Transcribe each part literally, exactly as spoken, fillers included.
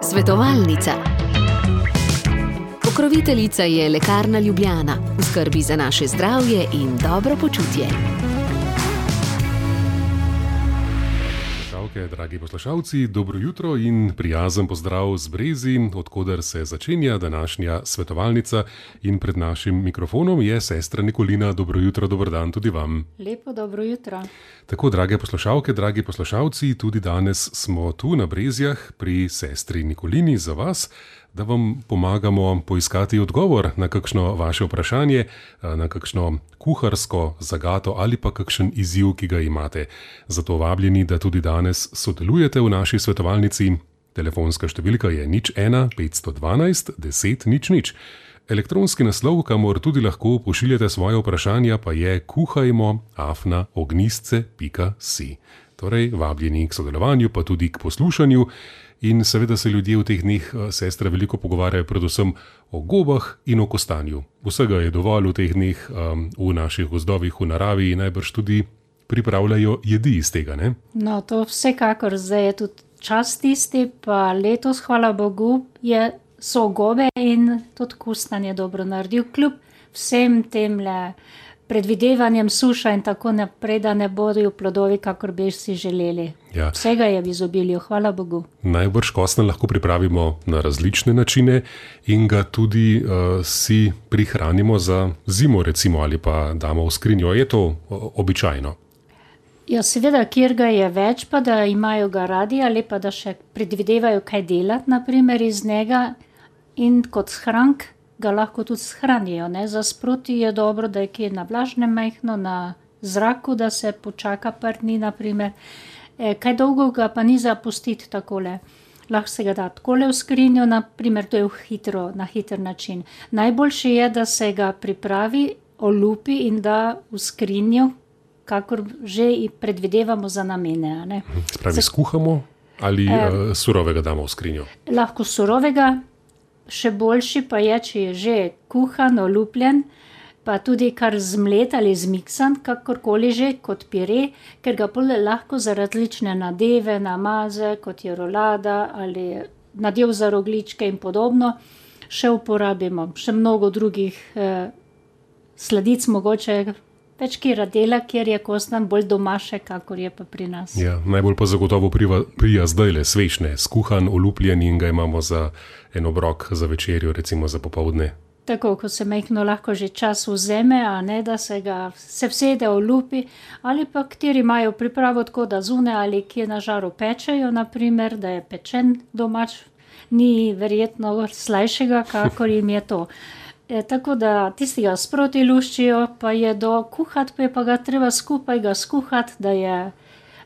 Svetovalnica. Pokroviteljica je Lekarna Ljubljana, v skrbi za naše zdravje in dobro počutje. Dragi poslušalci, dobro jutro in prijazen pozdrav z Brezi, odkoder se začenja današnja svetovalnica, in pred našim mikrofonom je sestra Nikolina. Dobro jutro, dober dan tudi vam. Lepo dobro jutro. Tako, drage poslušalke, dragi poslušalci, tudi danes smo tu na Brezjah pri sestri Nikolini za vas, da vam pomagamo poiskati odgovor na kakšno vaše vprašanje, na kakšno kuharsko zagato ali pa kakšen izziv, ki ga imate. Zato vabljeni, da tudi danes sodelujete v naši svetovalnici. Telefonska številka je nič ena petsto dvanajst deset nič nič. Elektronski naslov, kamor tudi lahko pošiljate svoje vprašanja, pa je kuhajmo afna ognistce pika si. Torej, vabljeni k sodelovanju, pa tudi k poslušanju. In seveda se ljudje v teh dneh, sestre, veliko pogovarjajo predvsem o gobah in o kostanju. Vsega je dovolj v teh dneh um, v naših gozdovih, v naravi, in najbrž tudi pripravljajo jedi iz tega, ne? No, to vsekakor, zdaj je tudi čas tisti, pa letos, hvala Bogu, je, so gobe in tudi kostanje dobro naredil, kljub vsem temle predvidevanjem suša in tako naprej, da ne bodo plodovi, kakor bi si želeli. Ja. Vsega je v izobilju, hvala Bogu. Najbrž kostna lahko pripravimo na različne načine in ga tudi uh, si prihranimo za zimo, recimo, ali pa damo v skrinjo. Je to običajno? Ja, seveda, kjer ga je več, pa da imajo ga radi, ali pa da še predvidevajo kaj delati, naprimer iz njega, in kot shrank ga lahko tudi shranijo, ne? Za sproti je dobro, da je kje na vlažnem majhno, na zraku, da se počaka par dni, naprimer. E, kaj dolgo ga pa ni zapustiti takole. Lahko se ga da takole v skrinjo, naprimer, to je v hitro, na hiter način. Najboljše je, da se ga pripravi, olupi in da v skrinjo, kakor že predvidevamo za namene, a ne? Spravi, skuhamo ali e, surovega damo v skrinjo? Lahko surovega. Še boljši pa je, če je že kuhan, olupljen, pa tudi kar zmlet ali zmiksan, kakorkoli že, kot pire, ker ga pol lahko za različne nadeve, namaze, kot je rolada ali nadev za rogljičke in podobno, še uporabimo. Še mnogo drugih eh, sladic mogoče, več kjera dela, kjer je kostan bolj domaše, kakor je pa pri nas. Ja, najbolj pa zagotovo prija, prija zdajle svečne, skuhan, olupljen, in ga imamo za en obrok za večerjo, recimo za popoldne. Tako, ko se majhno lahko že čas vzeme, a ne, da se ga se vsede olupi, ali pa kateri imajo pripravo tako, da zune ali kje na žaru pečejo, naprimer, da je pečen domač, ni verjetno slajšega, kakor jim je to. E, tako da tisti ga sproti luščijo, pa je do kuhati, pa je pa ga treba skupaj ga skuhati, da je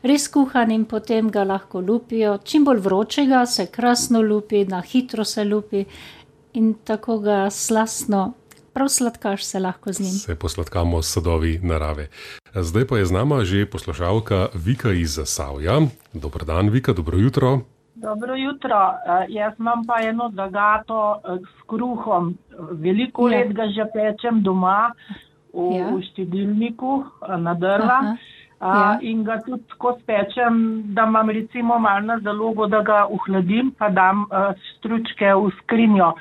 res kuhan, in potem ga lahko lupijo. Čim bolj vročega se krasno lupi, na hitro se lupi in tako ga slastno, prav sladkaš se lahko z njim. Se posladkamo s sadovi narave. Zdaj pa je z nama že poslušalka Vika iz Zasavja. Dober dan, Vika, dobro jutro. Dobro jutro. Jaz imam pa eno zagato s kruhom. Veliko ja. let ga že pečem doma v, ja. v štedilniku na drva. Ja. In ga tudi tako spečem, da imam recimo malo na zalogo, da ga ohladim, pa dam stručke v skrinjo.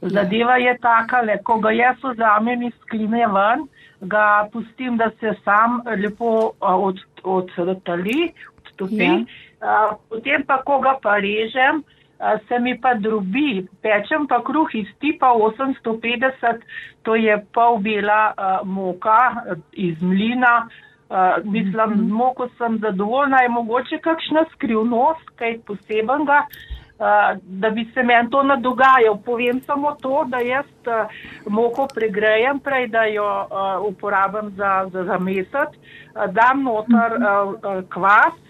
Zadeva je takale, ko ga jaz vzamem iz skrinje ven, ga pustim, da se sam lepo od, odtali, odtopi. Ja. Uh, potem pa, ko ga pa režem, uh, se mi pa drobi. Pečem pa kruh iz tipa osemsto petdeset, to je pol bela uh, moka iz mlina. Uh, mislim, z moko sem zadovoljna, je mogoče kakšna skrivnost, kaj posebenega, uh, da bi se meni to nadogajal. Povem samo to, da jaz uh, moko pregrejem prej, da jo uh, uporabim za, za, za mesec, uh, dam noter uh, uh, kvas,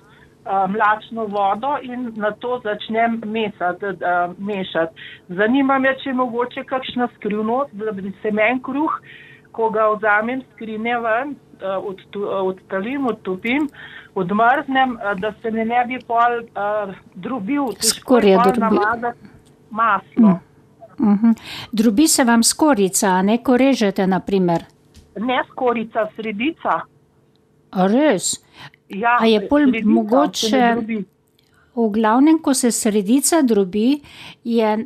mlačno vodo in na to začnem mesati, mešati. Zanima me, če je mogoče kakšna skrivnost, da bi se meni kruh, ko ga vzamem skrinje ven, odtalim, odtopim, odmrznem, da se mi ne bi pol uh, drobil. Skorje drobi. Maslo. Mm. Uh-huh. Drobi se vam skorica, a ne, ko režete, naprimer? Ne skorica, sredica. A res? Ja, a je pol mogoče v glavnem, ko se sredica drobi, je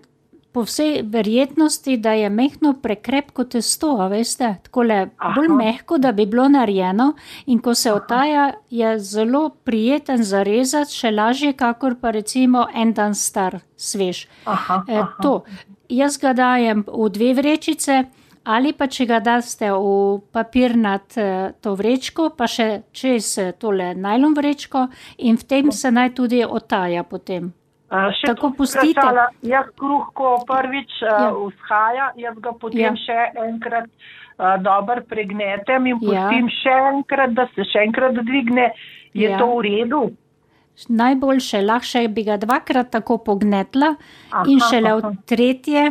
po vsej verjetnosti, da je mehko prekrepko testo, a veste, takole bolj mehko, da bi bilo narejeno in ko se otaja, je zelo prijeten za rezati, še lažje, kakor pa recimo en dan star, svež. Aha, e, aha. To, jaz ga dajem v dve vrečice, ali pa če ga daste v papirnat to vrečko, pa še čez tole najlon vrečko in v tem se naj tudi otaja potem. Uh, še Tako tu pustite. vprašala, jaz kruh, ko prvič uh, Ja. vzhaja, jaz ga potem Ja. še enkrat uh, dobro pregnetem in Ja. pustim še enkrat, da se še enkrat dvigne. Je Ja. to v redu? Najboljše, lahko bi ga dvakrat tako pognetla Aha, in šele aha. v tretje,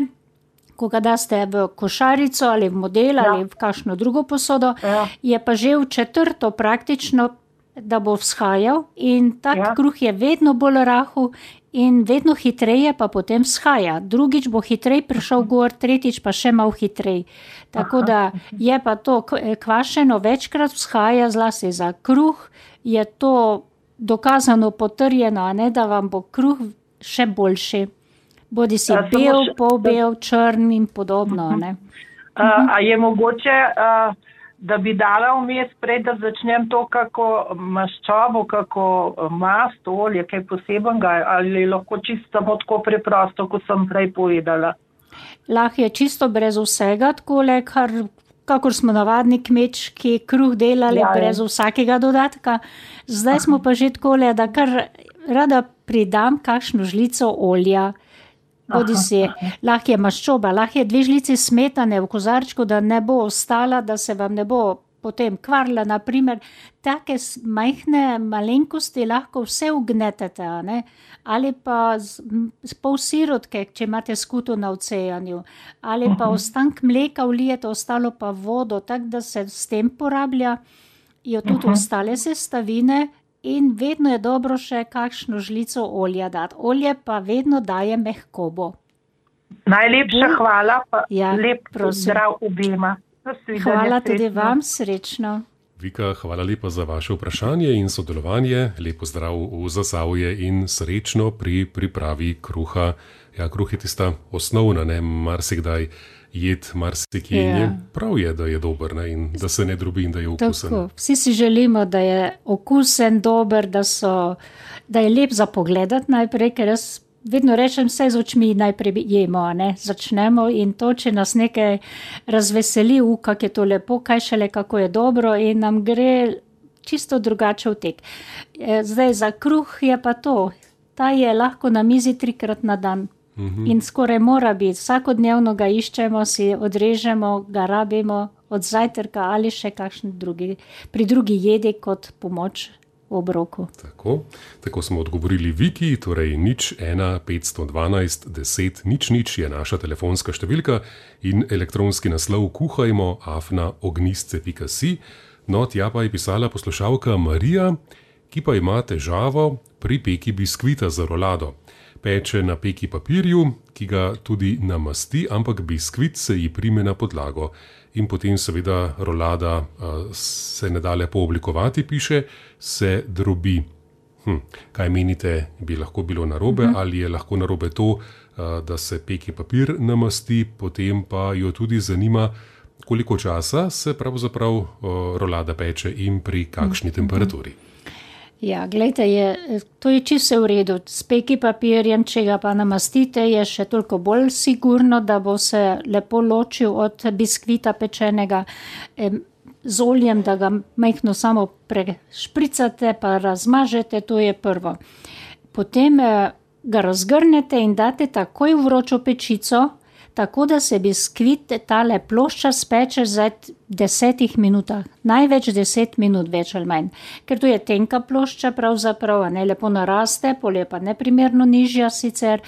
ko ga daste v košarico ali v model Ja. ali v kakšno drugo posodo, Ja. je pa že v četrto praktično, da bo vzhajal in tak Ja. kruh je vedno bolj rahel in vedno hitreje pa potem vzhaja. Drugič bo hitrej prišel gor, tretjič pa še malo hitrej. Tako da je pa to k- kvašeno večkrat vzhaja, zlasti za kruh, je to dokazano potrjeno, a ne, da vam bo kruh še boljši. Bodi si Ja, samo bel, še- polbel, črn in podobno, a ne. Uh, a je mogoče, uh, da bi dala vmes prej, da začnem to kako maščobo, kako mast, olje, kaj posebenega, ali lahko čisto samo tako preprosto, kot sem prej povedala? Lahko je čisto brez vsega, takole, kar, kakor smo navadni kmečki kruh delali, Ja, ja. brez vsakega dodatka. Zdaj smo pa že takole, da kar rada pridam kakšno žlico olja. Bodi si, lahko je maščoba, lahko je dve žlici smetane v kozarčku, da ne bo ostala, da se vam ne bo potem kvarila. Naprimer, take s- majhne malenkosti lahko vse ugnetete, a ne? Ali pa z, m, s pol sirotke, če imate skuto na odsejanju, ali pa ostank mleka vlijete, ostalo pa vodo, tako da se s tem porablja jo tudi ostale sestavine. In vedno je dobro še kakšno žlico olja dati. Olje pa vedno daje mehkobo. Najlepša Bolj- hvala, pa Ja, lep prosim. zdrav obema. Nasvidenje, Hvala tudi srečno. vam, srečno. Vika, hvala lepa za vaše vprašanje in sodelovanje. Lepo zdrav v Zasavje in srečno pri pripravi kruha. Ja, kruh je tista osnovna, ne, marsikdaj jed, marsikje. Ja. Je prav je, da je dober, ne, in da se ne drobi in da je okusen. Tako, vsi si želimo, da je okusen, dober, da, so, da je lep za pogledati najprej, ker jaz vedno rečem, vse z očmi najprej jemo, a ne, začnemo in to, če nas nekaj razveseli, u, kako je to lepo, kaj šele, kako je dobro in nam gre čisto drugače v tek. E, Zdaj za kruh je pa to, ta je lahko na mizi trikrat na dan. In skoraj mora biti, vsakodnevno ga iščemo, si odrežemo, ga rabimo od zajtrka ali še kakšen drugi, pri drugi jedi kot pomoč v obroku. Tako, tako smo odgovorili Viki, torej nič ena petsto dvanajst deset nič nič je naša telefonska številka in elektronski naslov kuhajmo afna ognistce pika si. No, tja pa je pisala poslušalka Marija, ki pa ima težavo pri peki biskvita za rolado. Peče na peki papirju, ki ga tudi namasti, ampak biskvit se ji prime na podlago. In potem seveda rolada uh, se ne da lepo oblikovati, piše, se drobi. Hm, kaj menite, bi lahko bilo narobe, uh-huh. ali je lahko narobe to, uh, da se peki papir namasti, potem pa jo tudi zanima, koliko časa se pravzaprav uh, rolada peče in pri kakšni uh-huh. temperaturi. Ja, gledajte, je, to je čisto v redu. S peki papirjem, če ga pa namastite, je še toliko bolj sigurno, da bo se lepo ločil od biskvita pečenega em, z oljem, da ga majhno samo prešpricate, pa razmažete, to je prvo. Potem eh, ga razgrnete in date takoj v vročo pečico, tako da se biskvit, tale plošča speče za desetih minutah, največ deset minut, več ali manj. Ker to je tenka plošča pravzaprav, a ne lepo naraste, pol je pa neprimerno nižja sicer.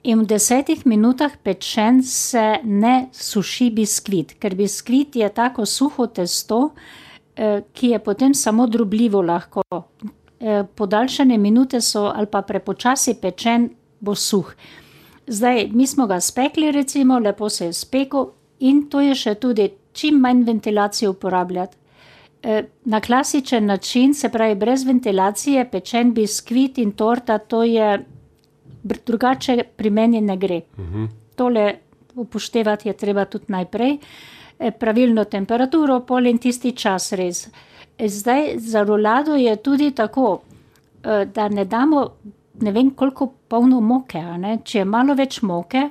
In v desetih minutah pečen se ne suši biskvit, ker biskvit je tako suho testo, eh, ki je potem samo drobljivo lahko. Eh, podaljšane minute so ali pa prepočasi pečen, bo suh. Zdaj, mi smo ga spekli recimo, lepo se je spekel in to je še tudi čim manj ventilacije uporabljati. na klasičen način, se pravi brez ventilacije, pečen biskvit in torta, to je drugače pri meni ne gre. Uh-huh. Tole upoštevati je treba tudi najprej. Pravilno temperaturo, pol in tisti čas res. Zdaj, za rolado je tudi tako, da ne damo ne vem koliko polno moke, a ne? Če je malo več moke,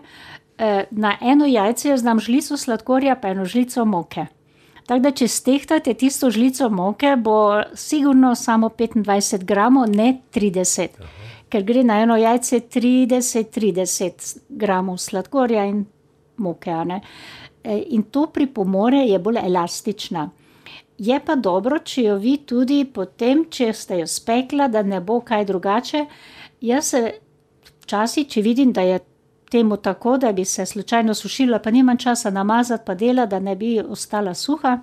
na eno jajce jaz dam žlico sladkorja pa eno žlico moke. Tako da, če stehtate tisto žlico moke, bo sigurno samo petindvajset gramov, ne trideset. Aha. Ker gre na eno jajce trideset, trideset gramov sladkorja in moke, a ne? In to pripomore je bolj elastična. Je pa dobro, če jo vi tudi potem, če ste jo spekla, da ne bo kaj drugače. Jaz se včasih, če vidim, da je temu tako, da bi se slučajno sušila, pa nimam časa namazati, pa dela, da ne bi ostala suha,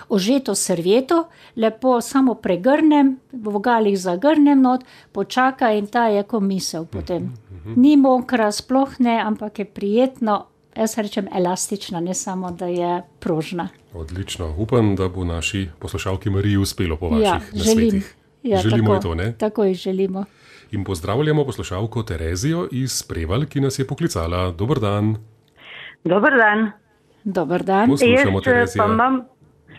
ožeto servieto, lepo samo pregrnem, v vogalih zagrnem not, počaka in ta je ko misel potem. Ni mokra, sploh ne, ampak je prijetno, jaz rečem elastična, ne samo, da je prožna. Odlično. Upam, da bo naši poslušalki Mariji uspelo po vaših ja, nasvetih. Ja, želimo tako, to, ne? Tako jih želimo. In pozdravljamo poslušalko Terezijo iz Prevalj, ki nas je poklicala. Dober dan. Dober dan. Dober dan. Poslušamo, Terezija. Jaz pa imam,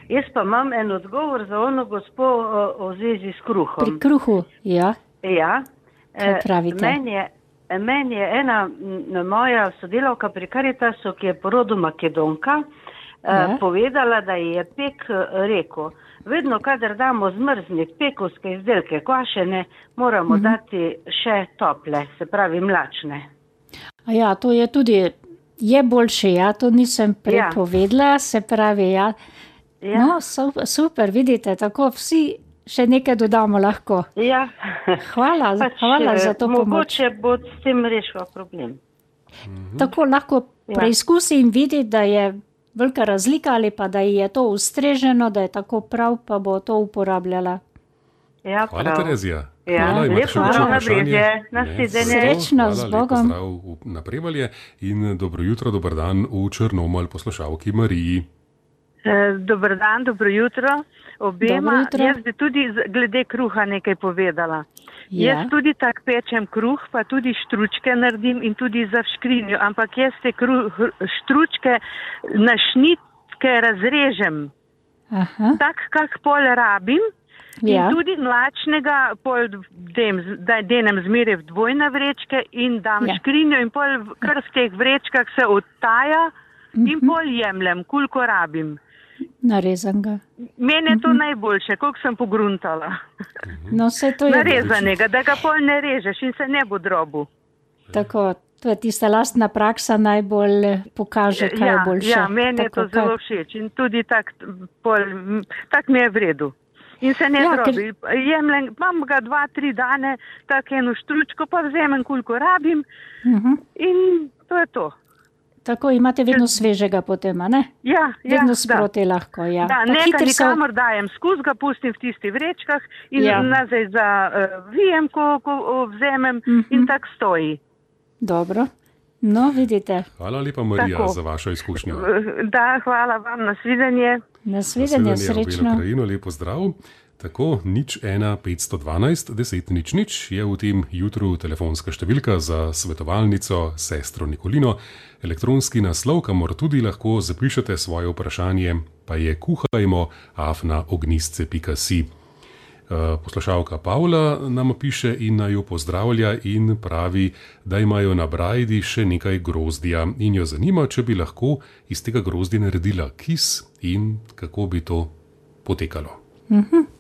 jaz pa imam en odgovor za ono gospo o, o zvezi s kruhom. Pri kruhu, ja. Ja. Kaj pravite? Meni je, meni je ena moja sodelavka pri Karitasu, ki je po rodu Makedonka, ja. povedala, da je pek rekel, vedno, kadar damo zmrznik, pekovske izdelke, kvašene, moramo mm-hmm. dati še tople, se pravi mlačne. A ja, to je tudi, je boljše, ja, to nisem prepovedala, ja. Se pravi, ja. ja. No, super, vidite, tako vsi še nekaj dodamo lahko. Ja. Hvala, pač, hvala za to pomoč. Mogoče bo s tem rešila problem. Mm-hmm. Tako lahko ja. preizkusi in vidi, da je velika razlika ali pa da je to ustreženo, da je tako prav, pa bo to uporabljala. Ja, hvala, Terezija. Ja, hvala, lep hvala na brezje. Srečno, z Bogom. Hvala, lep pozdrav na Prevalje in dobro jutro, dober dan v Črnomelj poslušalki Mariji. Dober dan, dobro jutro. Obema, jutro. Jaz bi tudi glede kruha nekaj povedala. Ja. Jaz tudi tak pečem kruh, pa tudi štručke naredim in tudi za v škrinjo, ampak jaz te kruh, štručke na šnitke razrežem. Aha. Tak, kak pol rabim. Ja. In tudi mlačnega pol dem, da denem zmeraj v dvojne vrečke in dam ja. škrinjo in pol kar v teh vrečkah se odtaja mm-hmm. in pol jemljem, koliko rabim. Narezan ga. Meni je to mm-hmm. najboljše, koliko sem pogruntala. No, vse to je... Narezanega, da ga pol ne režeš in se ne bo drobil. Tako, to je tista lastna praksa najbolj pokaže, kaj ja, je boljše. Ja, meni tako, je to zelo všeč in tudi tak, pol, tak mi je v redu. In se ne ja, drobi. Ker... Jemljem, imam ga dva, tri dane, tak eno štručko, pa vzemem, koliko rabim uh-huh. in to je to. Tako imate vedno svežega potem, a ne? Ja, vedno ja, sproti da. lahko, ja. Da, nekaj nikamor so... dajem skuz, ga pustim v tistih vrečkah in ja. nazaj za uh, vijem, ko, ko vzemem uh-huh. in tak stoji. Dobro. No, vidite. Hvala lepa, Marija, tako. Za vašo izkušnjo. Da, hvala vam, nasvidenje. Nasvidenje, srečno. Na Ukrajino, lepo zdrav. Tako, nič ena petsto dvanajst deset nič nič je v tem jutru telefonska številka za svetovalnico sestro Nikolino. Elektronski naslov, kamor tudi lahko zapišete svoje vprašanje, pa je kuhajmo afna ognistce pika si. Poslušalka Pavla nam piše in naj jo pozdravlja in pravi, da imajo na Brajdi še nekaj grozdja in jo zanima, če bi lahko iz tega grozdja naredila kis in kako bi to potekalo. Mhm.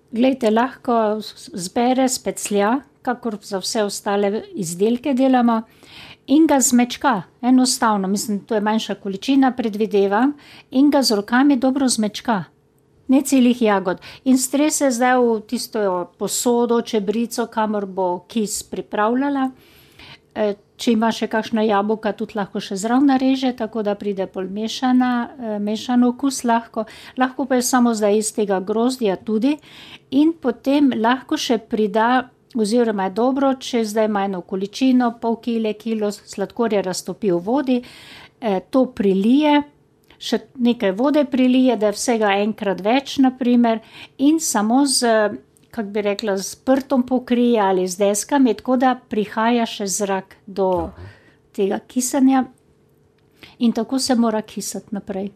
Glejte, lahko zbere speclja, kakor za vse ostale izdelke delamo, in ga zmečka, enostavno, mislim, to je manjša količina, predvidevam, in ga z rokami dobro zmečka, ne celih jagod. In strese zdaj v tisto posodo, čebrico, kamor bo kis pripravljala. Če ima še kakšna jabolka, tudi lahko še zraven nareže, tako da pride pol mešana, mešan okus lahko. Lahko pa je samo zdaj iz tega grozdja tudi. In potem lahko še prida, oziroma je dobro, če zdaj ima eno količino, pol kile, kilo sladkorja raztopi v vodi, to prilije, še nekaj vode prilije, da je vsega enkrat več, naprimer, in samo z, kako bi rekla, z prtom pokrije ali z deskami, tako da prihaja še zrak do tega kisanja in tako se mora kisati naprej.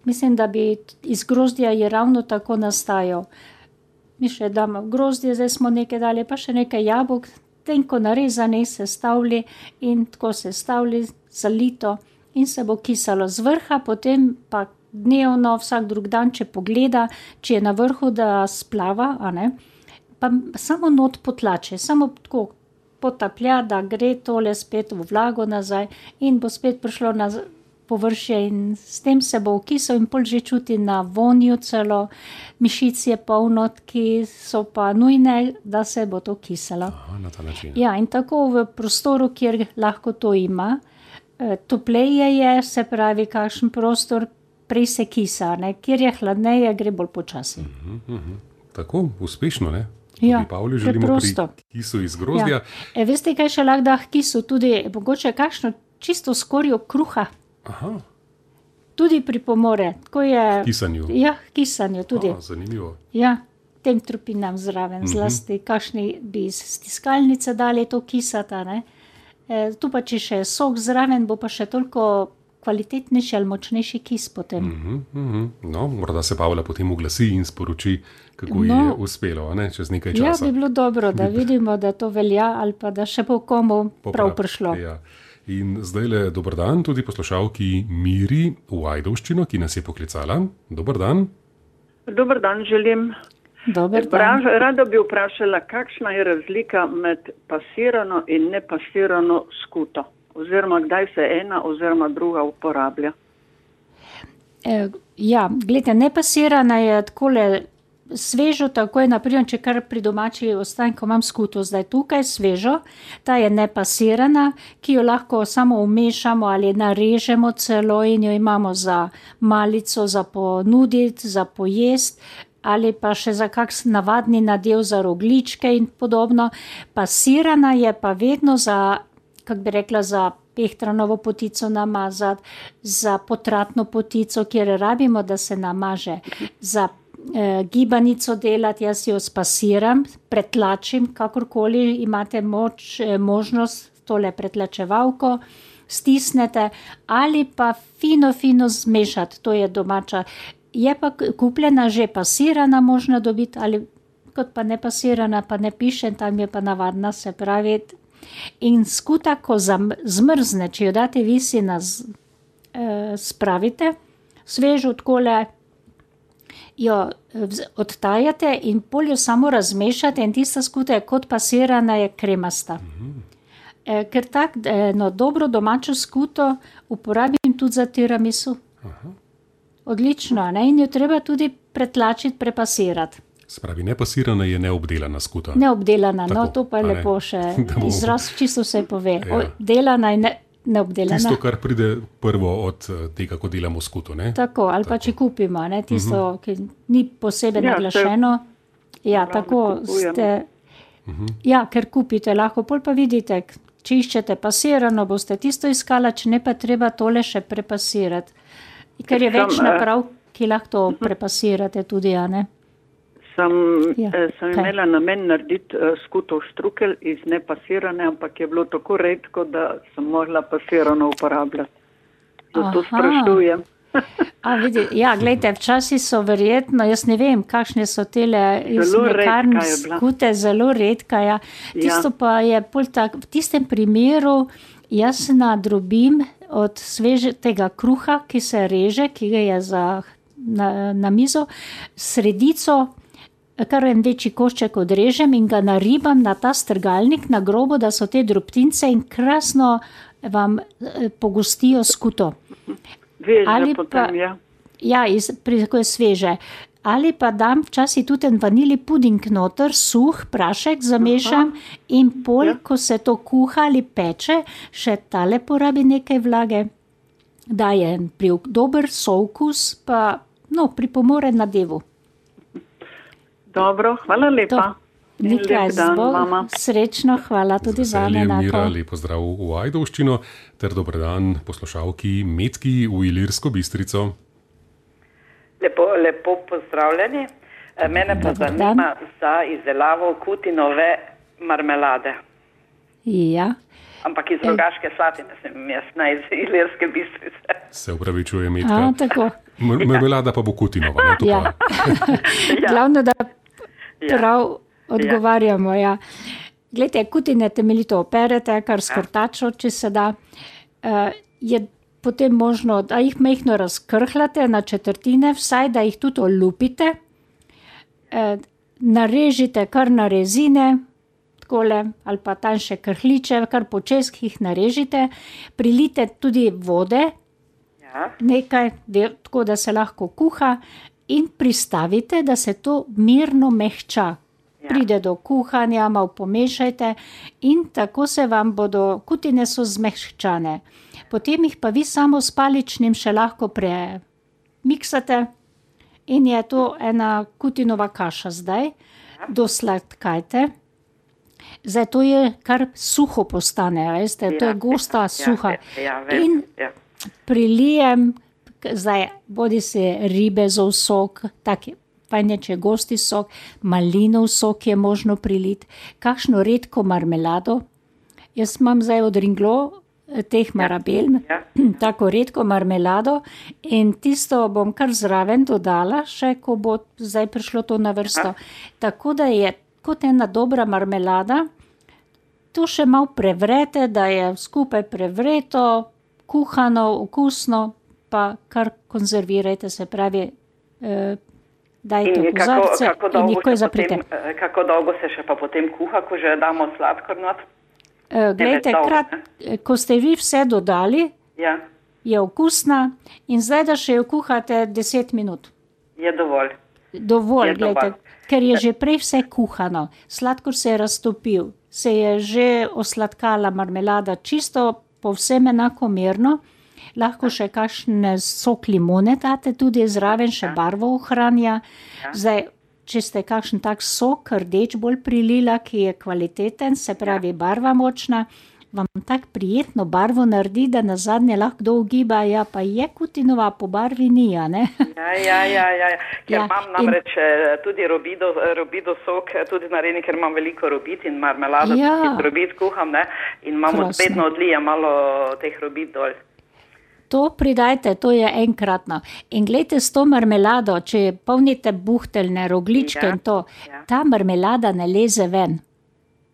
Mislim, da bi iz grozdja je ravno tako nastajal. Mi še damo grozdje, zdaj smo nekaj dali, pa še nekaj jabolk, tenko narezane, sestavili in tako sestavili, zalito in se bo kisalo z vrha, potem pa dnevno, vsak drug dan, če pogleda, če je na vrhu, da splava, a ne, pa samo not potlače, samo tako potaplja, da gre tole spet v vlago nazaj in bo spet prišlo na površje in s tem se bo ukisal in pol že čuti na vonju celo, mišic je polno, ki so pa nujne, da se bo to kisalo. Aha, na ta način. Ja, in tako v prostoru, kjer lahko to ima, topleje je, se pravi, kakšen prostor, prej se kisa, ne? Kjer je hladneje, gre bolj počasi. Uh-huh, uh-huh. Tako, uspešno, ne? Tudi Ja, Pavli želimo preprosto. pri kisu iz grozdja. Ja. E, veste, kaj še lahko da k kisu? Tudi mogoče kakšno čisto skorjo kruha. Aha, Tudi pripomore. Tako je, kisanju. ja, k kisanju tudi. A, zanimivo. Ja, tem trupinam zraven, Mhm. zlasti kakšni bi iz stiskalnice dali to kisata, ne. E, tu pa če še sok zraven, bo pa še toliko kvalitetnejši ali močnejši kis potem. Uh-huh, uh-huh. No, morda se Pavla potem oglasi in sporoči, kako ji No. je uspelo, a ne, čez nekaj Ja, časa. bi bilo dobro, da vidimo, da to velja ali pa da še bo komu prav prišlo. Ja. In zdaj le dober dan tudi poslušalki Miri v Ajdovščino, ki nas je poklicala. Dober dan. Dober dan želim. Dober Bra- dan. Rada bi vprašala, kakšna je razlika med pasirano in nepasirano skuto? Oziroma, kdaj se ena oziroma druga uporablja? E, ja, gledajte, nepasirana je takole svežo, tako je, naprimer, če kar pri domači ostanku imam skuto zdaj tukaj, svežo, ta je nepasirana, ki jo lahko samo umešamo ali narežemo celo in jo imamo za malico, za ponuditi, za pojest, ali pa še za kakšen navadni nadev za rogljičke in podobno. Pasirana je pa vedno za, kako bi rekla, za pehtranovo potico namazati, za potratno potico, kjer rabimo, da se namaže, za eh, gibanico delati, jaz jo spasiram, pretlačim, kakorkoli imate moč, eh, možnost tole pretlačevalko, stisnete ali pa fino, fino zmešati, to je domača. Je pa kupljena že pasirana, možno dobiti, ali kot pa ne pasirana, pa ne piše, tam je pa navadna, se pravi. In skuta, ko zmrzne, če jo date visi na z, eh, spravite, svežo takole jo odtajate in pol jo samo razmešate in tista skuta je kot pasirana, je kremasta. Eh, ker tak, no, dobro domačo skuto uporabim tudi za tiramisu. Aha. Odlično, ne? In jo treba tudi pretlačiti, prepasirati. Spravi, nepasirana je neobdelana skuta. Neobdelana, Tako, no to pa je a ne? lepo še Da bomo- izraz, čisto se pove. Ja. Obdelana in ne, neobdelana. Tisto, kar pride prvo od eh, tega, ko delamo skuto, ne? Tako, ali pa Tako. če kupimo, ne, tisto, ki ni posebej Ja, naglašeno. Ja, Prav, tako da kupujemo. ste. Ja, ker kupite, lahko pol pa vidite, k- če iščete pasirano, boste tisto iskala, če ne pa treba tole še prepasirati. Ker je Sam, več eh, naprav, ki lahko to prepasirate tudi, a ne? Sem, Ja, eh, sem kaj? imela namen narediti eh, skutov štrukelj iz nepasirane, ampak je bilo tako redko, da sem mogla pasirano uporabljati. Zato Aha. sprašujem. A, vidi, ja, gledajte, včasih so verjetno, jaz ne vem, kakšne so tele iz Zelo mlekarn redka je bila. skute, zelo redka, ja. Tisto Ja. pa je pol tak, v tistem primeru jaz nadrobim od svežega kruha, ki se reže, ki ga je za, na, na mizo, sredico, kar en večji košček odrežem in ga naribam na ta strgalnik, na grobo, da so te drobtince in krasno vam eh, pogostijo skuto. Veže Ali potem, pa- ja. Ja, iz, pri, ko je sveže. Ali pa dam včasih tudi en vanili puding noter, suh prašek zamešam in pol, Ja. ko se to kuha ali peče, še tale porabi nekaj vlage. Daje en pri, dober sookus, pa no, pripomore na devu. Dobro, hvala lepa. To. Nekaj zbog, srečno, hvala tudi vam enako. Mira, lepo zdrav v Ajdovščino, ter dober dan poslušalki Metki v Ilirsko Bistrico. Lepo, lepo pozdravljeni. Mene pa dobar zanima dan. Za izdelavo kutinove marmelade. Ja. Ampak iz Rogaške Slatine sem jaz, ne iz Ilirske Bistrice. Se upravičuje, Metka. A, tako. Marmelada pa bo kutinova, ne? To ja. pa. Glavno, da prav odgovarjamo. Ja. Glejte, kutine temeljito operete, kar s krtačo, če se da. Uh, je potem možno, da jih majhno razkrhlate na četrtine, vsaj da jih tudi olupite. Uh, narežite kar na rezine, takole, ali pa tanjše krhliče, kar po českih narežite. Prilite tudi vode, ja. Nekaj, tako da se lahko kuha. In pristavite, da se to mirno mehča. Ja. Pride do kuhanja, malo pomešajte in tako se vam bodo, kutine so zmehčane. Potem jih pa vi samo s paličnim še lahko premiksate in je to ena kutinova kaša zdaj. Ja. Dosladkajte. Zdaj to je kar suho postane, veste, ja. To je gosta, suha. Ja, ja, in ja. Prilijem zdaj, bodi se ribezov sok, tak fajn je, če je gosti sok, malinov sok je možno priliti, kakšno redko marmelado. Jaz imam zdaj od Ringlo teh marabel, ja. Ja. Tako redko marmelado in tisto bom kar zraven dodala, še ko bo zdaj prišlo to na vrsto. Ja. Tako da je kot ena dobra marmelada, to še malo prevrete, da je skupaj prevreto, kuhano, okusno, pa kar konzervirajte, se pravi, eh, dajte v kozarce in nikoj zaprite. Potem, kako dolgo se še pa potem kuha, ko že damo sladkor not? Eh, glejte, krat, ko ste vi vse dodali, ja. Je okusna in zdaj, da še jo kuhate deset minut. Je dovolj. Dovolj, je glejte, dovolj. Ker je že prej vse kuhano, sladkor se je raztopil, se je že osladkala marmelada čisto povsem enakomerno. Lahko še kakšne sok limone date, tudi zraven še barvo ohranja. Zdaj, če ste kakšen tak sok, rdeč bolj prilila, ki je kvaliteten, se pravi barva močna, vam tak prijetno barvo naredi, da nazadnje lahko kdo ugiba, ja, pa je kutinova, po barvi ni, a ne? Ja, ja, ja, ja. Ker Ja, imam namreč in... tudi robido, robido sok, tudi naredi, ker imam veliko robid in marmelado, Ja. iz robid kuham, ne? In imam Krasno. vedno odlija malo teh robid dol. To pridajte, to je enkratno. In glejte, s to marmelado, če polnite buhteljne, rogličke Ja, in to, ja. ta marmelada ne leze ven.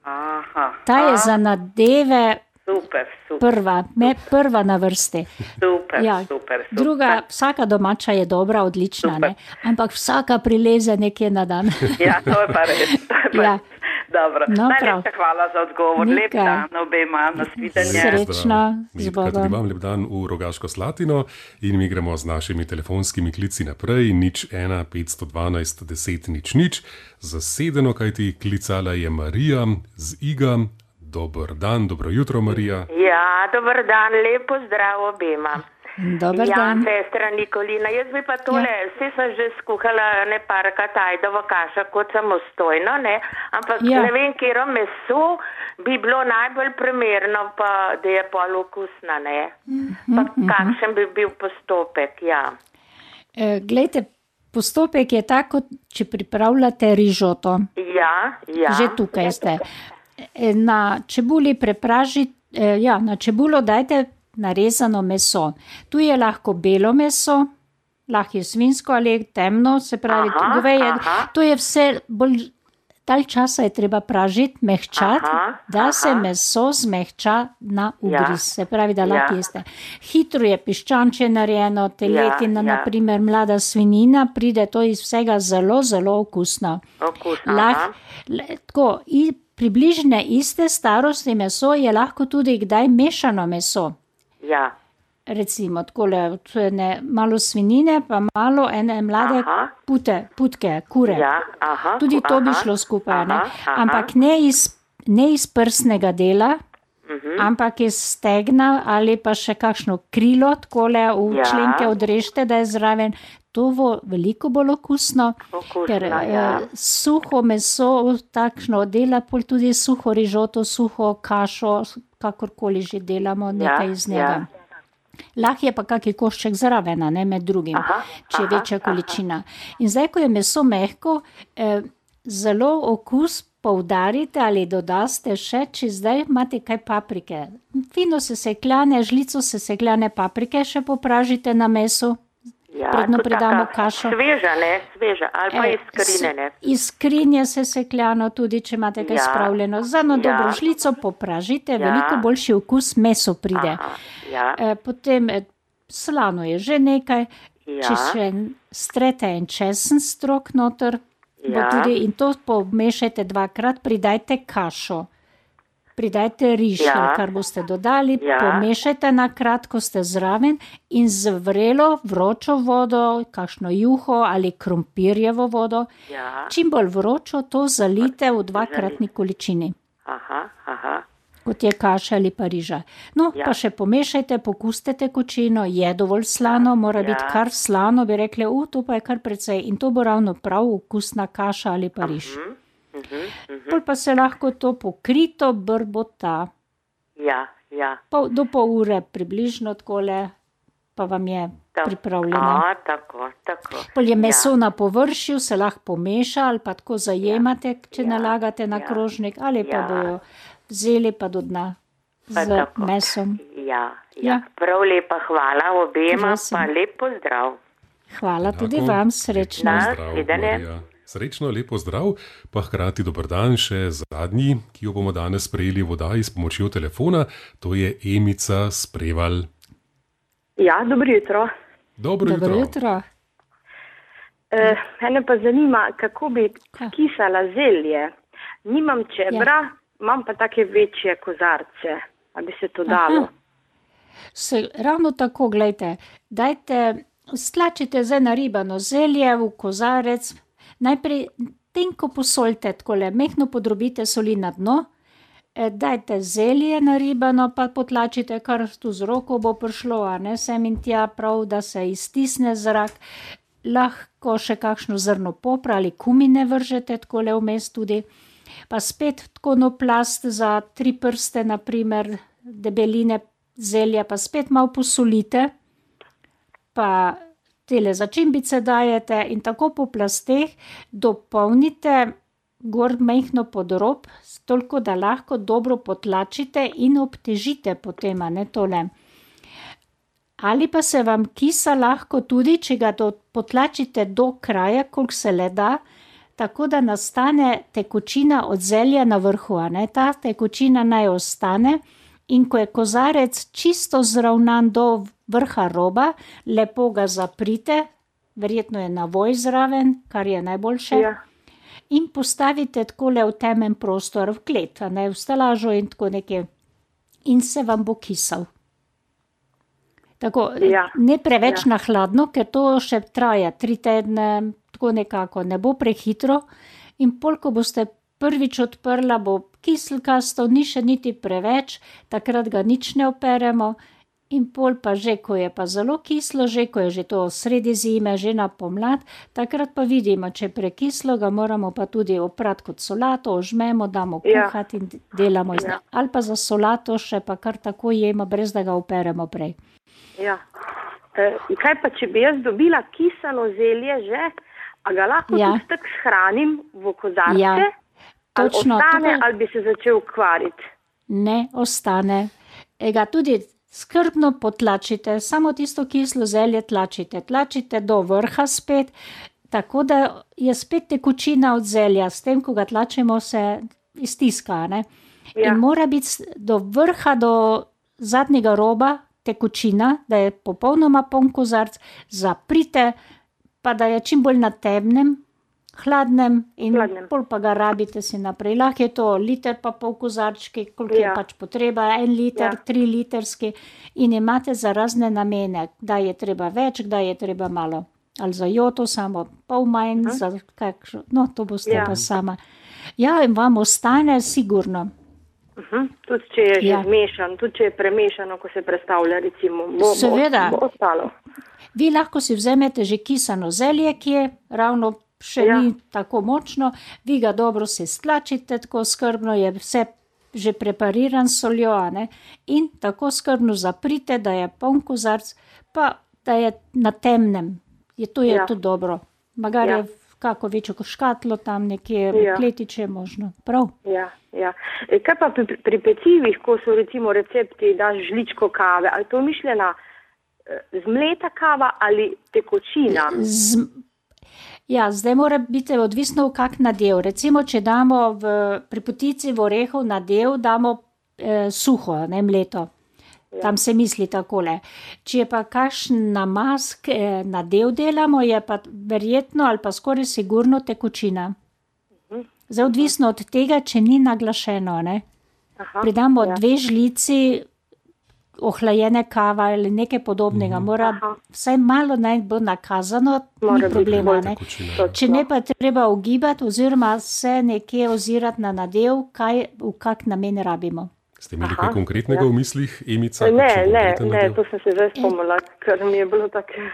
Aha. Ta je A, za nadeve Super, super. prva, me prva na vrsti. Super, Ja, super, super. druga, vsaka domača je dobra, odlična, Super. ne? Ampak vsaka prileze nekje na dan. Ja, to je pa res. To je pa Ja. res. Dobro. No, Najlepša prav. hvala za odgovor. Lep Nekaj. dan obema, nasvidenje. Srečno, z Metka, tudi Bogom. vam lep dan v Rogaško Slatino in mi gremo z našimi telefonskimi klici naprej. Nič ena, petsto dvanajst, deset, nič, nič. Zasedeno, kajti klicala je Marija z Iga. Dober dan, dobro jutro, Marija. Ja, dober dan, lepo zdrav obema. Dober ja, dan. sestra Nikolina, jaz bi pa tole, ja. Vse sem že skuhala ne parkrat ajdovo kašo kot samostojno, ne, ampak Ja. ne vem, kjero meso bi bilo najbolj primerno, pa da je pol okusna, ne. Pa kakšen bi bil postopek, ja. E, glejte, postopek je tako, če pripravljate rižoto. Ja, ja. Že tukaj ste. E, Na čebuli prepražite, e, ja, na čebulo dajte narezano meso. Tu je lahko belo meso, lahko je svinsko ali temno, se pravi, Aha, goveje. aha. To je vse bolj, dalj časa je treba pražiti, mehčati, Aha, da aha. se meso zmehča na ugriz, Ja. se pravi, da lahko Ja. jeste. Hitro je piščanče narejeno, teletina, Ja, ja. naprimer mlada svinina, pride to iz vsega zelo, zelo okusno. Okusno, Lah, aha. le, tako, i, približne iste starosti meso je lahko tudi kdaj mešano meso. Ja, Recimo, takole, ne, malo svinine, pa malo ene mlade Aha. pute, putke, kure. ja, aha. Tudi to bi aha, šlo skupaj, ne? aha, aha. Ampak ne iz, ne iz prsnega dela, Mhm. ampak iz stegna ali pa še kakšno krilo, takole v Ja. členke odrežete, da je zraven. gotovo veliko bolj okusno, Okusno, ker ja. eh, suho meso takšno dela, pol tudi suho rižoto, suho kašo, kakorkoli že delamo nekaj iz njega. ja. Lahko je pa kaki košček zraven, ne, med drugim, Aha, če je aha, večja količina. In zdaj, ko je meso mehko, eh, zelo okus poudarite ali dodaste še, če zdaj imate kaj paprike. Fino sesekljane, žlico sesekljane paprike še popražite na mesu, Ja, predno to pridamo taka kašo. Sveža, ne, sveža, ali pa Eh, iz skrine, ne. s- Iz skrinje sesekljano tudi, če imate kaj Ja. spravljeno. Za eno Ja. dobro žlico popražite, Ja. veliko boljši okus meso pride. Aha, ja, Eh, Potem eh, slano je že nekaj, če ja, še strete en česen strok noter, bo Ja. tudi, in to pomešajte dvakrat, pridajte kašo. Pridajte riž, Ja. ali kar boste dodali, Ja. pomešajte na kratko, ste zraven in z vrelo, vročo vodo, kakšno juho ali krompirjevo vodo, ja, čim bolj vročo, to zalite v dvakratni količini, aha, aha, kot je kaša ali pa riža. No, Ja. pa še pomešajte, pokustite tekočino, je dovolj slano, mora Ja. biti kar slano, bi rekli, u, to pa je kar precej, in to bo ravno prav okusna kaša ali pa riž. mhm, mhm, mhm. Pol pa se lahko to pokrito brbota, Ja, ja. pol, do pol ure približno takole, pa vam je Ta- pripravljeno. A, tako, tako. Pol je meso Ja. na površju, se lahko pomeša ali pa tako zajemate, če Ja. nalagate na Ja. krožnik, ali pa Ja. bojo vzeli pa do dna Pa z tako. mesom. Ja, ja. Ja. Prav lepa hvala obema, Prosim. pa lep pozdrav. Hvala tudi Enako. vam, srečno. Na Zdrav, svidenje. Marija. Srečno, lepo zdrav, pa hkrati dober dan še zadnji, ki jo bomo danes sprejeli v oddaji s pomočjo telefona, to je Emica Spreval. Ja, dobro jutro. Dobro, Dobro jutro. jutro. Uh, mene pa zanima, kako bi Ja. kisala zelje. Nimam čebra, ja. imam pa take večje kozarce. A bi se to dalo? Aha. Se, ravno tako, gledajte, dajte, stlačite zdaj naribano zelje v kozarec, najprej tenko posoljte, takole, mehno podrobite soli na dno, eh, dajte zelje naribano, pa potlačite, kar tu z roko bo prišlo, a ne, sem in tja, prav, da se iztisne zrak. Lahko še kakšno zrno popra ali kumine vržete, takole vmes tudi, pa spet tako no plast za tri prste, naprimer, debeline zelja, pa spet malo posolite, pa tele začimbice dajete in tako po plasteh dopolnite gor mehno podrob, toliko, da lahko dobro potlačite in obtežite potem, a ne tole. Ali pa se vam kisa lahko tudi, če ga do, potlačite do kraja, koliko se le da, tako da nastane tekočina od zelja na vrhu, a ne, ta tekočina naj ostane. In ko je kozarec čisto zravnan do vrha roba, lepo ga zaprite, verjetno je navoj zraven, kar je najboljše, Ja. in postavite takole v temen prostor, v klet, a ne, v stelažo in tako nekje, in se vam bo kisal. Tako, Ja. ne preveč Ja. na hladno, ker to še traja tri tedne, tako nekako, ne bo prehitro, in pol, ko boste prvič odprla, bo kiselkasto, ni še niti preveč, takrat ga nič ne operemo, in pol pa že, ko je pa zelo kislo, že ko je že to sredi zime, že na pomlad, takrat pa vidimo, če je prekislo, ga moramo pa tudi oprati kot solato, ožmemo, damo Ja. kuhati in delamo iz Ja. njega. Ali pa za solato še pa kar tako jemo, brez da ga operemo prej. Ja. E, kaj pa, če bi jaz dobila kisano zelje že, a ga lahko Ja. tudi tako shranim v kozarce? Ja, ali točno, ostane, to- ali bi se začel kvariti? Ne ostane. E ga tudi skrbno potlačite, samo tisto kislo zelje tlačite. Tlačite do vrha spet, tako da je spet tekočina od zelja. S tem, ko ga tlačimo, se iztiska, ne? Ja. In mora biti s- do vrha, do zadnjega roba tekočina, da je popolnoma poln kozarc, zaprite, pa da je čim bolj na temnem, hladnem in Hladnem. pol pa ga rabite si naprej. Lahko je to liter pa pol kozarčki, koliko Ja. je pač potreba, en liter, Ja. tri litrski, in imate za razne namene, kdaj je treba več, kdaj je treba malo. Ali za joto samo pol manj, Aha. za kakšno, no to boste Ja. pa sama. Ja, in vam ostane sigurno. Uh-huh. Tudi če je že ja. zmešan, tudi če je premešano, ko se predstavlja, recimo, bo, Seveda. bo, bo ostalo. Vi lahko si vzemete že kisano zelje, ki je ravno še ja. ni tako močno, vi ga dobro se stlačite, tako skrbno je vse že prepariran s soljo, ne? In tako skrbno zaprite, da je poln kozarc, pa da je na temnem. Je to je ja. tudi dobro. Magar ja. je kako večjo škatlo tam nekje, ja. kletiče možno. Prav? Ja, ja. E, kaj pa pri, pri pecivih, ko so recimo recepti, daš žličko kave, ali to mišljena zmleta kava ali tekočina? Z, ja, zdaj mora biti odvisno v kak nadev. Recimo, če damo v, pri potici v orehov nadev, damo eh, suho, ne mleto. Tam se misli takole. Če je pa kakšen namazk eh, nadev delamo, je pa verjetno ali pa skoraj sigurno tekočina. Zdaj odvisno od tega, če ni naglašeno, ne. Aha, pridamo ja. dve žlici ohlajene kava ali nekaj podobnega. Mora Aha. vsaj malo naj bo nakazano, Mora ni problema, ne. Če ne pa treba ugibati oziroma se nekje ozirati na nadev, kaj, v kak namen rabimo. Ste imeli kaj konkretnega ja. v mislih, Emica? Ne, ne, ne, to sem se zdaj spomnila, ker mi je bilo tako...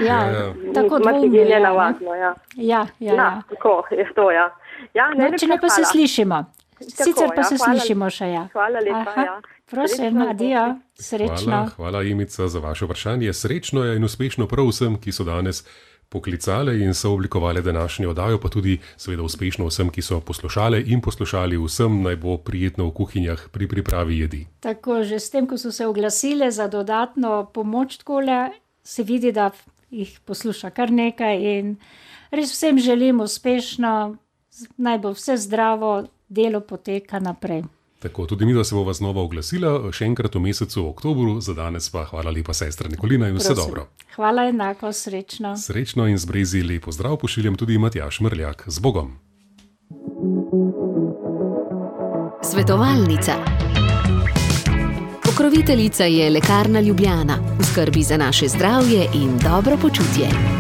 Ja, ja. tako dvomno. Ja, navadno, ja. Ja, ja, ja. ja. Tako, je to, ja. ja ne, no, če ne pa se slišimo. Sicer pa ja, se hvala, slišimo še, ja. Hvala lepa, Aha, ja. Prosim, adijo, srečno. Hvala, hvala Emica za vaše vprašanje. Srečno je in uspešno prav vsem, ki so danes poklicale in so oblikovali današnjo oddajo, pa tudi seveda uspešno vsem, ki so poslušale in poslušali, vsem naj bo prijetno v kuhinjah pri pripravi jedi. Tako, že s tem, ko so se oglasile za dodatno pomoč takole, se vidi, da jih posluša kar nekaj in res vsem želim uspešno, naj bo vse zdravo, delo poteka naprej. Tako, tudi mi, da se bova znova oglasila, še enkrat v mesecu oktobru, za danes pa hvala lepa sestra Nikolina in vse Prosim. dobro. Hvala enako, srečno. Srečno in z Brezij lepo zdrav pošiljam tudi Matjaž Mrljak. Z Bogom. Svetovalnica. Pokroviteljica je Lekarna Ljubljana. V skrbi za naše zdravje in dobro počutje.